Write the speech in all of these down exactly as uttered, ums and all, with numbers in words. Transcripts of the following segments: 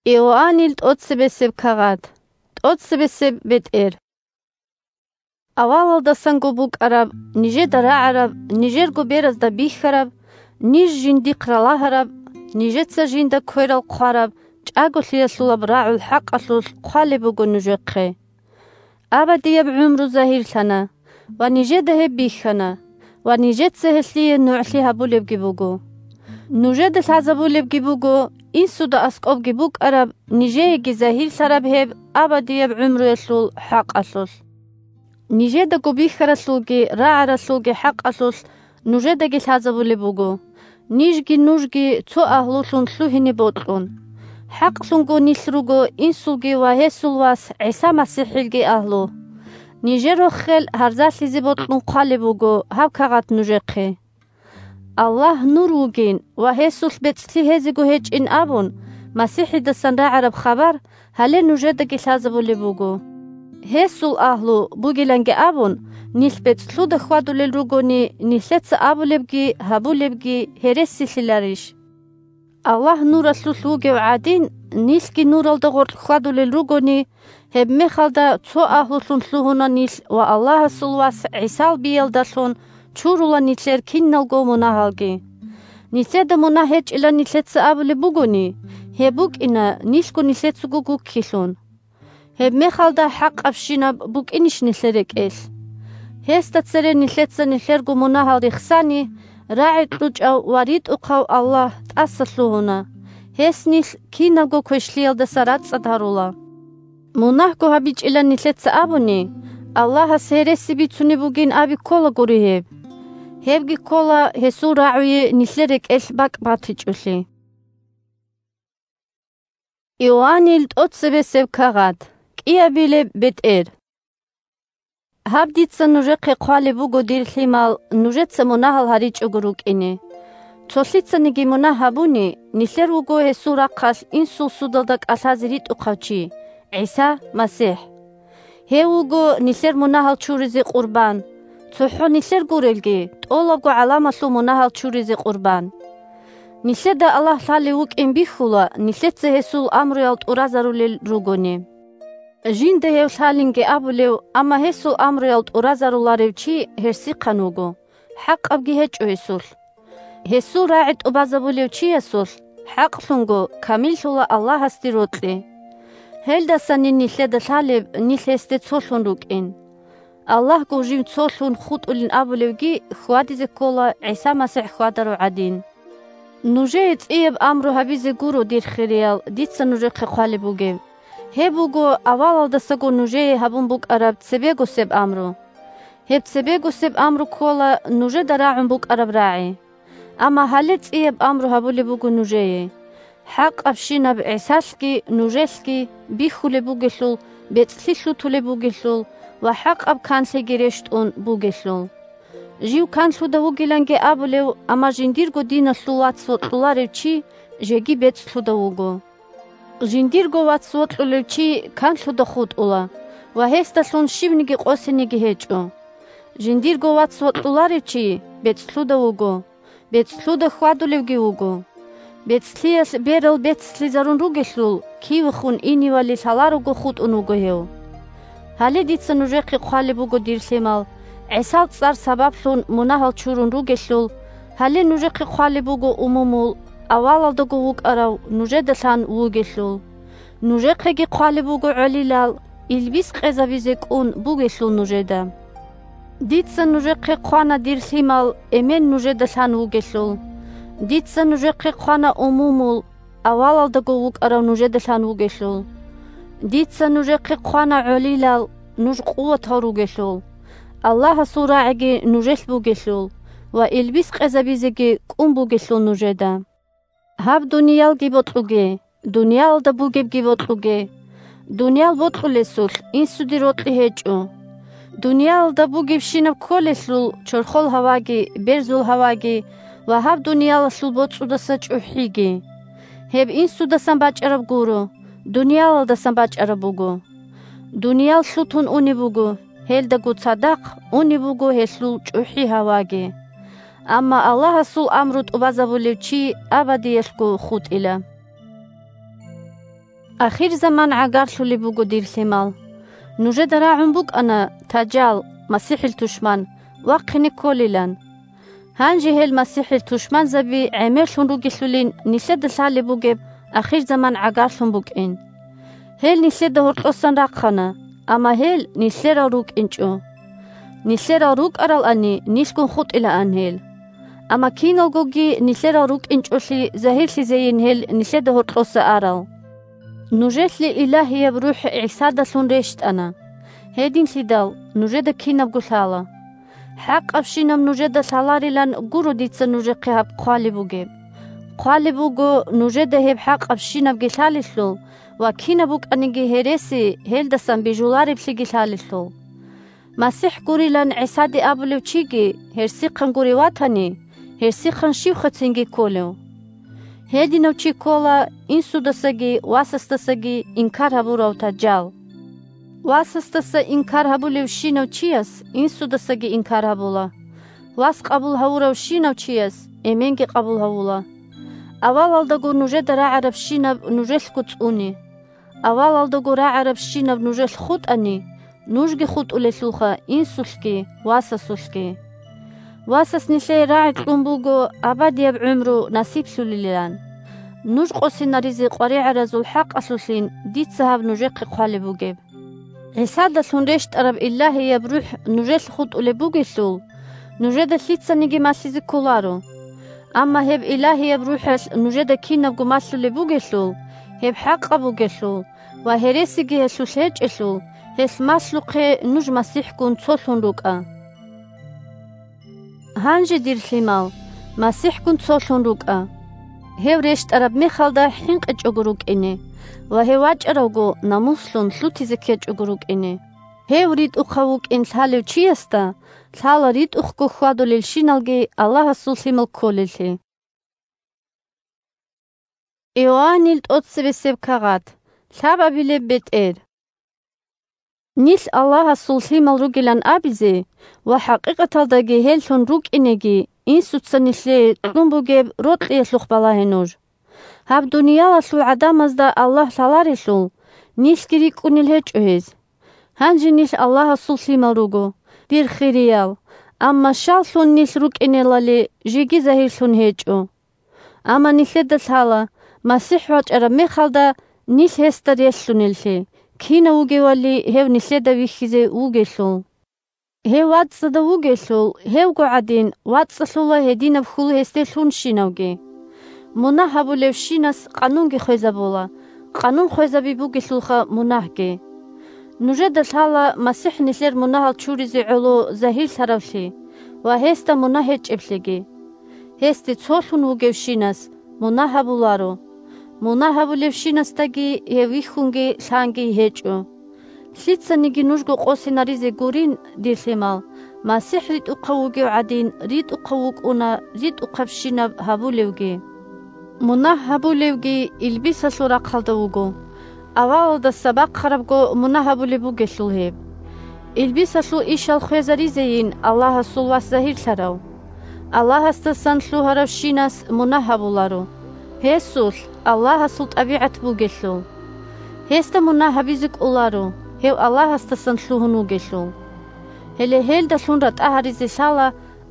Иоаннил тӀоцебесеб кагъат. ТӀоцебесеб бетӀер. Авалалдасанго букӀараб, нижеда рагӀараб, нижерго беразда бихьараб, ниж жиндихъ ралагьараб, нижеца жинда кверал хъвараб, чӀаголъиялъулаб рагӀул хӀакъалъулъ хъвалеб буго нужехъе. Абадияб гӀумру загьирлъана, ва нижеда гьеб бихьана, ва нижеца гьелъие нугӀлъи гьабулебги буго. Нужеда лъазабулебги буго, инсуда аскӀобги букӀараб, нижееги загьирлъараб гьеб абадияб гӀумруялъул хӀакъалъулъ. Нижедаго бихьаралъулги рагӀаралъулги хӀакъалъулъ нужедаги лъазабулеб буго, нижги нужги цо агьлулъун лъугьине бокьун. ХӀакълъунго нилъ руго инсулги ва гьесул вас ГӀиса МасихӀилги агьлу. Нижер рохел гьарзалъизе бокьун хъвалеб буго гьаб кагъат нужехъе. Аллагь нур вугин ва гьесулъ бецӀлъи гьезего гьечӀин абун, МасихӀидасан рагӀараб хабар гьале нужедаги лъазабулеб буго. Гьесул агьлу бугиланги абун, нилъ бецӀлъуда хьвадулел ругони, нилъеца абулебги гьабулебги гьересилъиларищ? Аллагь нуралъулъ вугев гӀадин, нилъги нуралда гъоркь хьвадулел ругони, гьебмехалда цо агьлулъун лъугьуна нилъ ва Аллагьасул вас ГӀисал биялдалъун чурула нилъер киналго мунагьалги. Нилъеда мунагь гьечӀилан нилъеца абулеб бугони, гьеб букӀина нилъго нилъецаго гуккилъун. Гьебмехалда хӀакъабщинаб букӀинищ нилъер рекӀелъ? Гьесда цере нилъеца нилъерго мунагьал рехсани, рагӀи кьучӀав ва ритӀухъав Аллагь тӀаса лъугьуна, гьес нилъ кинабго квешлъиялдаса рацӀцӀад гьарула. Мунагьго гьабичӀилан нилъеца абуни, Аллагьас гьереси бицунеб бугин аби кколагури гьеб. Гьебги ккола гьесул рагӀуе нилъер рекӀелъ бакӀ батичӀолъи. Иоаннил тӀоцебесеб кагъат. КӀиабилеб бетӀер. Гьаб дица нужехъе хъвалеб буго, дир лъимал, нужеца мунагьал гьаричӀого рукӀине. Цолъицаниги мунагь гьабуни, нилъер вуго гьесул рахъалъ инсул судалда кӀалъазе ритӀухъав чи, ГӀиса МасихӀ. Гьев вуго нилъер мунагьал чуризе къурбан, цохӀо нилъер гурелги, тӀолабго гӀаламалъул мунагьал чуризе къурбан. Нилъеда Аллагь лъалев вукӀин бихьула, нилъеца гьесул амруял тӀуразарулел ругони. Жинда гьев лъалинги абулев, амма гьесул амруял тӀуразаруларев чи гьерсихъан вуго, хӀакъабги гьечӀо гьесулъ. Гьесул рагӀи тӀубазабулев чиясулъ, хӀакълъунго, камиллъула Аллагьасде рокьи. Гьелдасанин нилъеда лъалеб нилъ гьесде цолъун рукӀин. Аллагьго жив цолъун хутӀулин абулевги хьвадизе ккола ГӀиса МасихӀ хьвадарав гӀадин. Нужее цӀияб амру гьабизе гуро, дир хириял, дица нужехъе хъвалеб бугеб. Гьеб буго авалалдасаго нужее гьабун букӀараб цебегосеб амру. Гьеб цебегосеб амру ккола нужеда рагӀун букӀараб рагӀи. Амма гьале цӀияб амру гьабулеб буго нужее: хӀакъабщинаб ГӀисалъги нужелъги бихьулеб бугелъул, бецӀлъи лъутулеб бугелъул ва хӀакъаб канлъиги рещтӀун бугелъул. Жив канлъуда вугиланги абулев, амма жиндирго диналъул вац вокьуларев чи жеги бецӀлъуда вуго. Жиндирго вац вокьулев чи канлъуда хутӀула ва гьесдалъун щибниги къосиниги гьечӀо. Жиндирго вац вокьуларев чи бецӀлъуда вуго, бецӀлъуда хьвадулевги вуго. БецӀлъиялъ берал бецлъизарун ругелъул, кивехун иневали лъаларого хутӀун вуго гьев. Гьале дица нужехъе хъвалеб буго, дир лъимал, ГӀисал цӀар сабаблъун мунагьал чурун ругелъул, гьале нужехъе хъвалеб буго умумул, авалалдаго вукӀарав нужеда лъан вугелъул. Нужехъеги хъвалеб буго гӀолилал, илбис къезабизе кӀун бугелъул нужеда. Дица нужехъе хъвана, дир лъимал, эмен нужеда лъан вугелъул. Дица нужехъе хъвана умумул, авалалдаго вукӀарав нужеда лъан вугелъул. Дица нужехъе хъвана гӀолилал, нуж къуватал ругелъул. Аллагьасул рагӀиги нужелъ бугелъул ва илбис къезабизеги кӀун бугелъул нужеда. Гьаб дуниялги бокьуге, дуниялалда бугебги бокьуге. Дуниял бокьулесулъ инсуде рокьи гьечӀо. Дуниялалда бугебщинаб кколелъул чорхол гьаваги, берзул гьаваги ва гьаб дуниялалъул боцӀудаса чӀухӀиги. Гьеб инсудасан бачӀараб гуро, дуниялалдасан бачӀараб буго. Дуниял лъутун унеб буго, гьелдаго цадахъ унеб буго гьелъул чӀухӀи гьаваги. Амма Аллагьасул амру тӀубазабулев чи абадиялъго хутӀила. Ахирзаман гӀагарлъулеб буго, дир лъимал. Нужеда рагӀун букӀана тажал, МасихӀил тушман, вахъине кколилан. Гьанже гьел МасихӀил тушманзаби гӀемерлъун ругелъулин нилъеда лъалеб бугеб ахирзаман гӀагарлъун букӀин. Гьел нилъеда гьоркьосан рахъана, амма гьел нилъерал рукӀинчӀо. Нилъерал рукӀаралани нилъгун хутӀилаан гьел. Амма киналгоги нилъерал рукӀинчӀолъи загьирлъизейин гьел нилъеда гьоркьоса арал. Нужелъе Илагьияб РухӀ ГӀисадалъун рещтӀана. Гьединлъидал нужеда кинабго лъала. ХӀакъабщинаб нужеда лъаларилан гуро дица нужехъе гьаб хъвалеб бугеб. Хъвалеб буго нужеда гьеб хӀакъабщинабги лъалелъул ва кинаб букӀаниги гьереси гьелдасан бижулареблъиги лъалелъул. МасихӀ гурилан ГӀисаде абулев чиги гьерсихъан гури ватани, гьерсихъан щивха цинги кколев? Гьединав чи ккола инсудасаги васасдасаги инкар гьабурав тажал. Васасдаса инкар гьабулевщинав чияс инсудасаги инкар гьабула. Вас къабул гьавуравщинав чияс эменги къабул гьавула. Авалалдаго нужеда рагӀарабщинаб нужелъго цӀуне. Авалалдаго рагӀарабщинаб нужелъ хутӀани, нужги хутӀулелъулха инсулъги васасулъги. Васас нилъее рагӀи кьун буго абадияб гӀумру насиблъулилан. Нуж къосинаризе къваригӀаразул хӀакъалъулъин дица гьаб нужехъе хъвалеб бугеб. ГӀисадалъун рещтӀараб Илагьияб РухӀ нужелъ хутӀулеб бугелъул, нужеда лъицаниги малъизе кколаро. Амма гьеб Илагьияб РухӀалъ нужеда кинабго малъулеб бугелъул, гьеб хӀакъаб бугелъул ва гьересиги гьелъулъ гьечӀелъул, гьелъ малъухъе нуж МасихӀгун цолъун рукӀа. Гьанже, дир лъимал, МасихӀгун цолъун рукӀа. Гьев рещтӀараб мехалда хӀинкъичӀого рукӀине ва гьев вачӀаравго намуслъун лъутизе ккечӀого рукӀине. Гьев ритӀухъав вукӀин лъалев чиясда лъала ритӀухъго хьвадулелщиналги Аллагьасул лъимал кколеллъи. Иоаннил тӀоцебесеб кагъат. Лъабабилеб бетӀер. Нилъ Аллагьасул лъимал ругилан абизе ва хӀакъикъаталдаги гьеллъун рукӀинеги инсуца нилъее кьун бугеб рокьиялъухъ балагье нуж. Гьаб дуниялалъул гӀадамазда Аллагь лъаларелъул, нилъги рикӀкӀунел гьечӀо гьез. Гьанже нилъ Аллагьасул лъимал руго, дир хириял, амма щаллъун нилъ рукӀинелали жеги загьирлъун гьечӀо. Амма нилъеда лъала, МасихӀ вачӀараб мехалда нилъ гьесда релълъунеллъи, кинав вугевали гьев нилъеда вихьизе вугелъул. Гьев вацӀцӀадав вугелъул, гьевго гӀадин вацӀцӀалъула гьединаб хьул гьесде лъунщинавги. Мунагь гьабулевщинас къанунги хвезабула, къанун хвезаби бугелъулха мунагьги. Нужеда лъала МасихӀ нилъер мунагьал чуризе гӀоло загьирлъаравлъи ва гьесда мунагь гьечӀеблъиги. Гьесде цолъун вугевщинас мунагь гьабуларо. Мунагь гьабулевщинасдаги гьев вихьунги лъанги гьечӀо. Лъицаниги нужго къосинаризе гурин, дир лъимал, МасихӀ ритӀухъав вугев гӀадин ритӀухъав вукӀуна ритӀухъабщинаб гьабулевги. Мунагь гьабулевги илбисалъул рахъалда вуго. Авалалдаса бахъарабго мунагь гьабулеб бугелъул гьеб. Илбисалъул ишал хвезаризейин Аллагьасул Вас загьирлъарав. Аллагьасдасан лъугьаравщинас мунагь гьабуларо, гьесулъ Аллагьасул тӀабигӀат бугелъул. Гьесда мунагь гьабизе кӀоларо, гьев Аллагьасдасан лъугьун вугелъул. Гьеле гьелдалъун ратӀа гьаризе лъала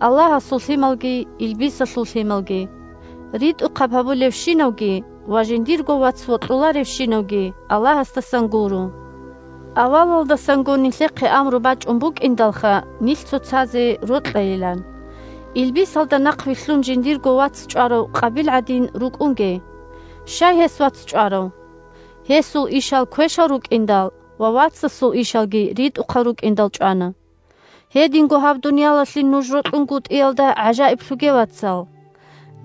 Аллагьасул лъималги илбисалъул лъималги, ритӀухъаб гьабулевщинавги ва жиндирго вац вокьуларевщинавги Аллагьасдасан гуро. Авалалдасанго нилъехъе амру бачӀун букӀиндалха нилъ цоцазе рокьайилан. Илбисалда нахъвилълъун жиндирго вац чӀварав Къабил гӀадин рукӀунге. Щай гьес вац чӀварав? Гьесул ишал квешал рукӀиндал ва вацасул ишалги ритӀухъал рукӀиндал чӀвана. Гьединго гьаб дуниялалъе нуж рокьунгутӀиялда гӀажаиблъуге, вацал.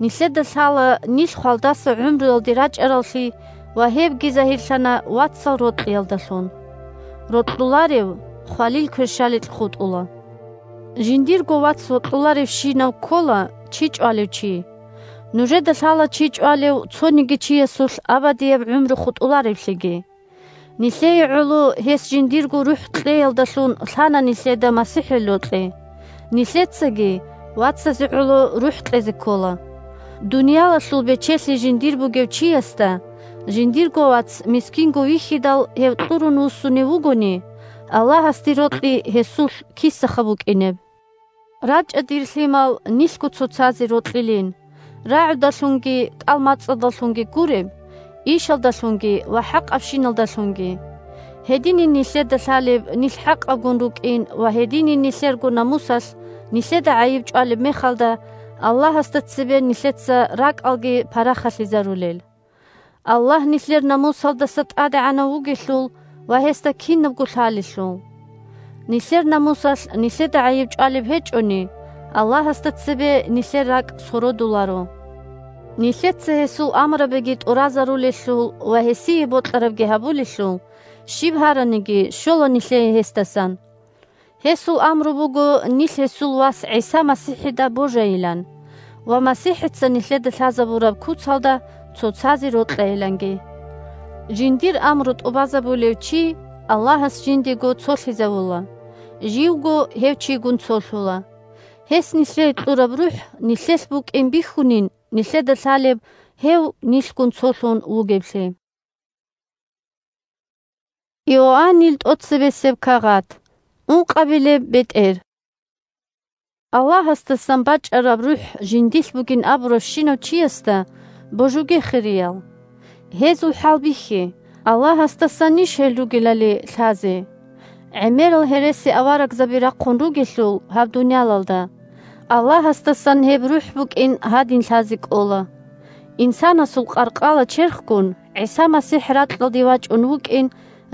Нилъеда лъала нилъ хвалдаса гӀумруялде рачӀараллъи ва гьебги загьирлъана вацал рокьиялдалъун. Рокьуларев хвалил кверщаликь хутӀула. Жиндирго вац вокьуларевщинав ккола чи чӀвалев чи. Нужеда лъала чи чӀвалев цониги чиясулъ абадияб гӀумру хутӀулареблъиги. Нилъее гӀоло гьес жиндирго рухӀ кьеялдалъун лъана нилъеда МасихӀил рокьи. Нилъецаги вацазе гӀоло рухӀ кьезе ккола. Дуниялалъул бечелъи жиндир бугев чиясда Жиндирго вац мискинго вихьидал гьев кьурун вуссунев вугони, Аллагьасде рокьи гьесулъ кисаха букӀинеб. РачӀа, дир лъимал, нилъго цоцазе рокьилин, рагӀудалъунги кӀалмацӀалдалъунги гуреб, ишалдалъунги ва хӀакъабщиналдалъунги. Гьединин нилъеда лъалеб нилъ хӀакъабгун рукӀин ва гьединин нилъерго намусалъ нилъеда гӀайиб чӀвалеб мехалда, Аллагьасда цебе нилъеца ракӀалги парахалъизарулел. Аллагь нилъер намусалдаса тӀадегӀанав вугелъул ва гьесда кинабго лъалелъул. Нилъер намусалъ нилъеда гӀайиб чӀвалеб гьечӀони, Аллагьасда цебе нилъер ракӀ сородуларо. Нилъеца гьесул амрабиги тӀуразарулелъул ва гьесие бокьарабги гьабулелъул, щиб гьараниги щола нилъее гьесдасан. Гьесул амру буго нилъ гьесул Вас ГӀиса МасихӀида божайилан ва МасихӀица нилъеда лъазабураб куцалда цоцазе рокьайиланги. Жиндир амру тӀубазабулев чи Аллагьас жиндиего цолъизавула, живго гьев чигун цолъула. Гьес нилъее кьураб РухӀ нилъелъ букӀин бихьунин нилъеда лъалеб гьев нилъгун цолъун вугеблъи. Иоаннил тӀоцебесеб кагъат. Ункъабилеб бетӀер. Аллагьасдасан бачӀараб РухӀ жиндилъ бугин абуравщинав чиясда божуге, хириял. Гьезул хӀал бихье, Аллагьасдасанищ гьел ругелали лъазе. ГӀемерал гьереси-аварагзаби рахъун ругелъул гьаб дуниялалда, Аллагьасдасан гьеб РухӀ букӀин гьадин лъазе кӀола. Инсанасул къаркъала черхгун ГӀиса МасихӀ ракьалде вачӀун вукӀин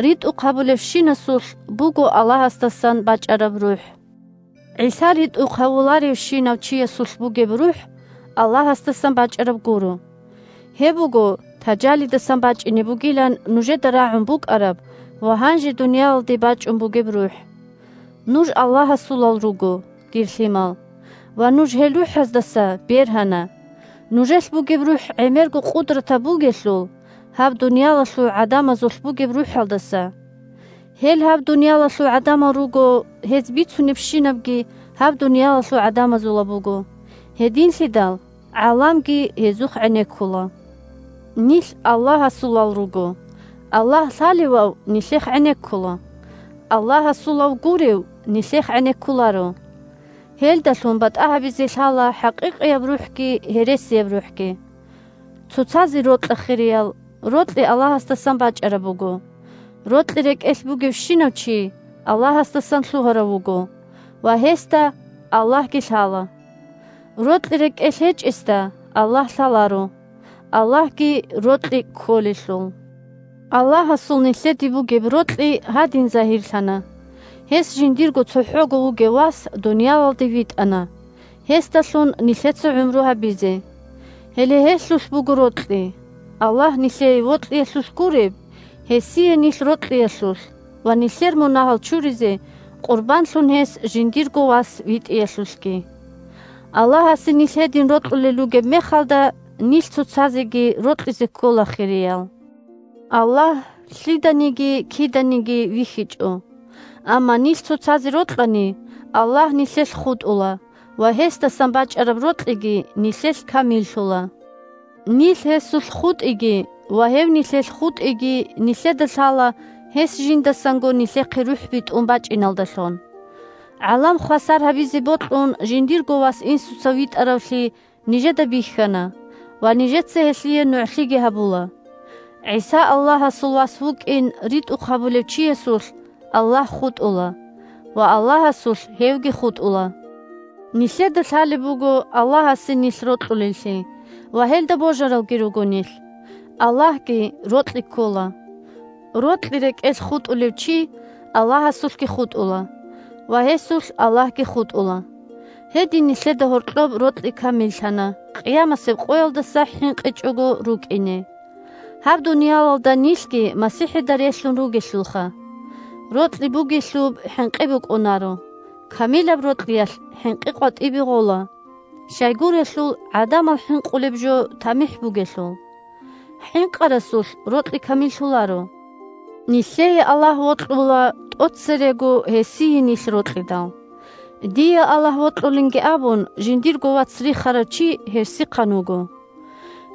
ритӀухъ гьабулевщинасулъ буго Аллагьасдасан бачӀараб РухӀ. ГӀиса ритӀухъ гьавуларевщинав чиясулъ бугеб РухӀ Аллагьасдасан бачӀараб гуро. Гьеб буго, таджалидасан бачӀине бугилан нужеда рагӀун букӀараб ва гьанже дуниялалде бачӀун бугеб РухӀ. Нуж Аллагьасулал руго, дир лъимал, ва нуж гьел рухӀаздаса бергьана. Нужелъ бугеб рухӀ гӀемерго къудратаб бугелъул, гьаб дуниялалъул гӀадамазулъ бугеб рухӀалдаса. Гьел гьаб дуниялалъул гӀадамал руго, гьез бицунебщинабги гьаб дуниялалъул гӀадамазула буго. Гьединлъидал гӀаламги гьезухъ гӀенеккула. Нилъ Аллагьасулал руго. Аллагь лъалевав нилъехъ гӀенеккула. Аллагьасулав гурев нилъехъ гӀенеккуларо. Гьелдалъун батӀа гьабизе лъала хӀакъикъияб рухӀги гьересияб рухӀги. Цоцазе рокьа, хириял, рокьи Аллагьасдасан бачӀараб буго. Рокьи рекӀелъ бугевщинав чи Аллагьасдасан лъугьарав вуго ва гьесда Аллагьги лъала. Рокьи рекӀелъ гьечӀесда Аллагь лъаларо, Аллагьги рокьи кколелъул. Аллагьасул нилъеде бугеб рокьи гьадин загьирлъана: гьес жиндирго цохӀого вугев Вас дуниялалде витӀана, гьесдалъун нилъеца гӀумру гьабизе. Гьеле гьелъулъ буго рокьи, Аллагь нилъее вокьиялъулъ гуреб, гьесие нилъ рокьиялъулъ ва нилъер мунагьал чуризе къурбанлъун гьес жиндирго Вас витӀиялъулъги. Аллагьасе нилъ гьедин рокьулел ругеб мехалда, нилъ цоцазеги рокьизе ккола, хириял. Аллагь лъиданиги киданиги вихьичӀо. Амма нилъ цоцазе рокьани, Аллагь нилъелъ хутӀула ва гьесдасан бачӀараб рокьиги нилъелъ камиллъула. Нилъ гьесулъ хутӀиги ва гьев нилъелъ хутӀиги нилъеда лъала гьес жиндасанго нилъехъе рухӀ битӀун бачӀиналдалъун. ГӀалам хвасар гьабизе бокьун жиндирго Вас инсуца витӀаравлъи нижеда бихьана ва нижеца гьелъие нугӀлъиги гьабула. ГӀиса Аллагьасул Вас вукӀин ритӀухъ гьабулев чиясулъ Аллагь хутӀула ва Аллагьасулъ гьевги хутӀула. Нилъеда лъалеб буго Аллагьасе нилъ рокьулеллъи ва гьелда божаралги руго нилъ. Аллагьги рокьи ккола. Рокьи рекӀелъ хутӀулев чи Аллагьасулъги хутӀула ва гьесулъ Аллагьги хутӀула. Гьедин нилъеда гьоркьоб рокьи камиллъана, къиямасеб къоялдаса хӀинкъичӀого рукӀине. Гьаб дуниялалда нилъги МасихӀида релълъун ругелъулха. Рокьи бугелъуб хӀинкъи букӀунаро. Камилаб рокьиялъ хӀинкъи къватӀибе гъола. Щайгурелъул гӀадамал хӀинкъулеб жо тамихӀ бугелъул. ХӀинкъарасулъ рокьи камиллъуларо. Нилъее Аллагь вокьула тӀоцерего гьесие нилъ рокьидал. Дие Аллагь вокьулинги абун, жиндирго вац рихарав чи гьерсихъан вуго.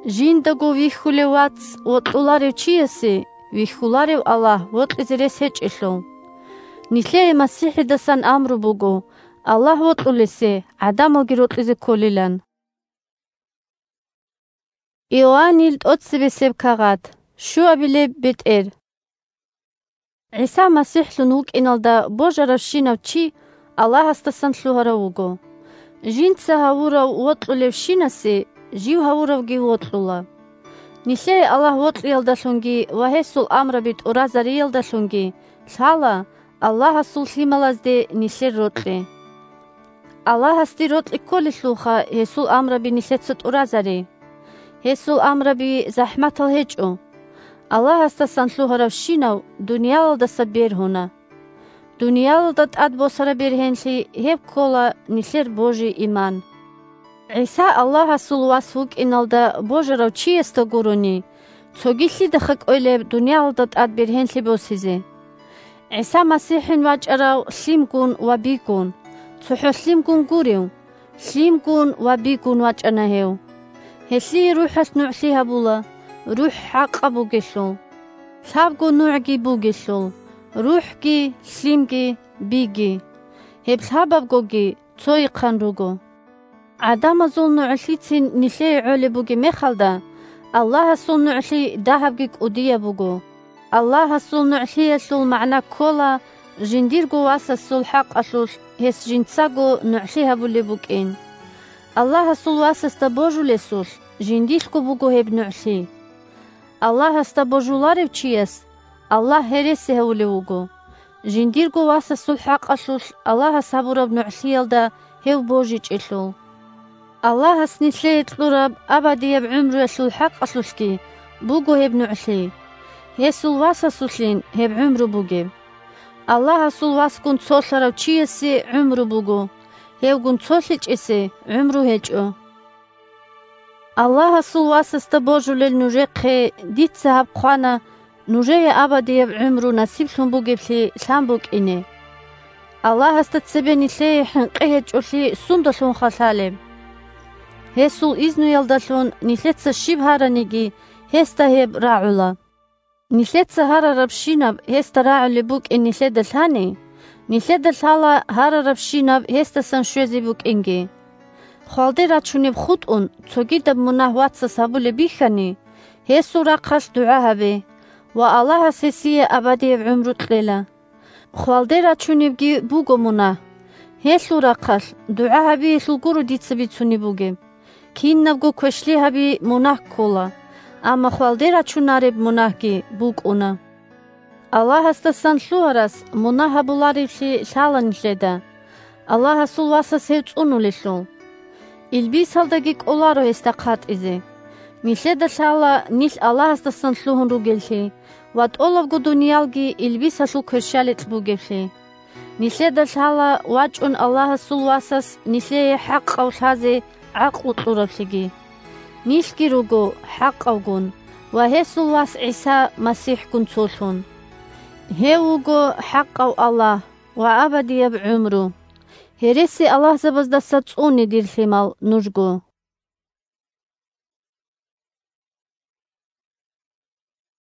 Жиндаго вихьулев вац вокьуларев чиясе вихьуларев Аллагь вокьизе рес гьечӀелъул. Нилъее МасихӀидасан амру буго, Аллагь вокьулесе гӀадамалги рокьизе кколилан. Иоаннил тӀоцебесеб кагъат, щуабилеб бетӀер. ГӀиса МасихӀлъун вукӀиналда божаравщинав чи Аллагьасдасан лъугьарав вуго. Жинца гьавурав вокьулевщинасе жив гьавуравги вокьула. Нилъее Аллагь вокьиялдалъунги ва гьесул амраби тӀуразариялдалъунги лъала Аллагьасул лъималазде нилъер рокьи. Аллагьасде рокьи кколелъулха гьесул амраби нилъеца тӀуразари. Гьесул амраби захӀматал гьечӀо. Аллагьасдасан лъугьаравщинав дуниялалдаса бергьуна. Дуниялалда тӀад босараб бергьенлъи гьеб ккола нилъер божи-иман. ГӀиса Аллагьасул вас вукӀиналда божарав чиясда гурони, цоги лъидаха кӀвелеб дуниялалда тӀад бергьенлъи босизе. ГӀиса МасихӀин вачӀарав лъимгун ва бигун, цохӀо лъимгун гурев, лъимгун ва бигун вачӀана гьев. Гьелъие РухӀалъ нугӀлъи гьабула, РухӀ хӀакъаб бугелъул, лъабго нугӀги бугелъул, РухӀги, лъимги, биги. Гьеб лъабабгоги цойихъан руго. ГӀадамазул нугӀлъицин нилъее гӀолеб бугеб мехалда, Аллагьасул нугӀлъи дагьабги кӀудияб буго. Аллагьасул нугӀлъиялъул магӀна ккола жиндирго Васасул хӀакъалъулъ гьес жинцаго нугӀлъи гьабулеб букӀин. Аллагьасул Васасда божулесулъ жиндилъго буго гьеб нугӀлъи. Аллагьасда божуларев чияс Аллагь гьереси гьавулев вуго, жиндирго Васасул хӀакъалъулъ Аллагьас гьабураб нугӀлъиялда гьев божичӀелъул. Аллагьас нилъее кьураб абадияб гӀумруялъул хӀакъалъулъги буго гьеб нугӀлъи. Гьесул Васасулъин гьеб гӀумру бугеб. Аллагьасул Васгун цолъарав чиясе гӀумру буго, гьевгун цолъичӀесе гӀумру гьечӀо. Аллагьасул Васасда божулел нужехъе дица гьаб хъвана нужее абадияб гӀумру насиблъун бугеблъи лъан букӀине. Аллагьасда цебе нилъее хӀинкъи гьечӀолъи сундалъунха лъалеб? Гьесул изнуялдалъун нилъеца щиб гьараниги, гьесда гьеб рагӀула. Нилъеца гьарарабщинаб гьесда рагӀулеб букӀин нилъеда лъани, нилъеда лъала гьарарабщинаб гьесдасан щвезе букӀинги. Хвалде рачунеб хутӀун цогидаб мунагь вацас гьабулеб бихьани, гьесул рахъалъ дугӀа гьабе, ва Аллагьас гьесие абадияб гӀумру кьела. Хвалде рачунебги буго мунагь. Гьелъул рахъалъ дугӀа гьабиялъул гуро дица бицунеб бугеб. Кинабго квешлъи гьаби мунагь ккола, амма хвалде рачунареб мунагьги букӀуна. Аллагьасдасан лъугьарас мунагь гьабуларевлъи лъала нилъеда, Аллагьасул Васас гьев цӀунулелъул. Илбисалдаги кӀоларо гьесда хъатӀизе. Нилъеда лъала нилъ Аллагьасдасан лъугьун ругеллъи ва тӀолабго дуниялги илбисалъул кверщаликь бугеблъи. Нилъеда лъала вачӀун Аллагьасул Васас нилъее хӀакъав лъазе гӀакълу кьураблъиги. Нилъги руго хӀакъавгун ва гьесул Вас ГӀиса МасихӀгун цолъун. Гьев вуго хӀакъав Аллагь ва абадияб гӀумру. Гьереси-аллагьзабаздаса цӀуне, дир лъимал, нужго.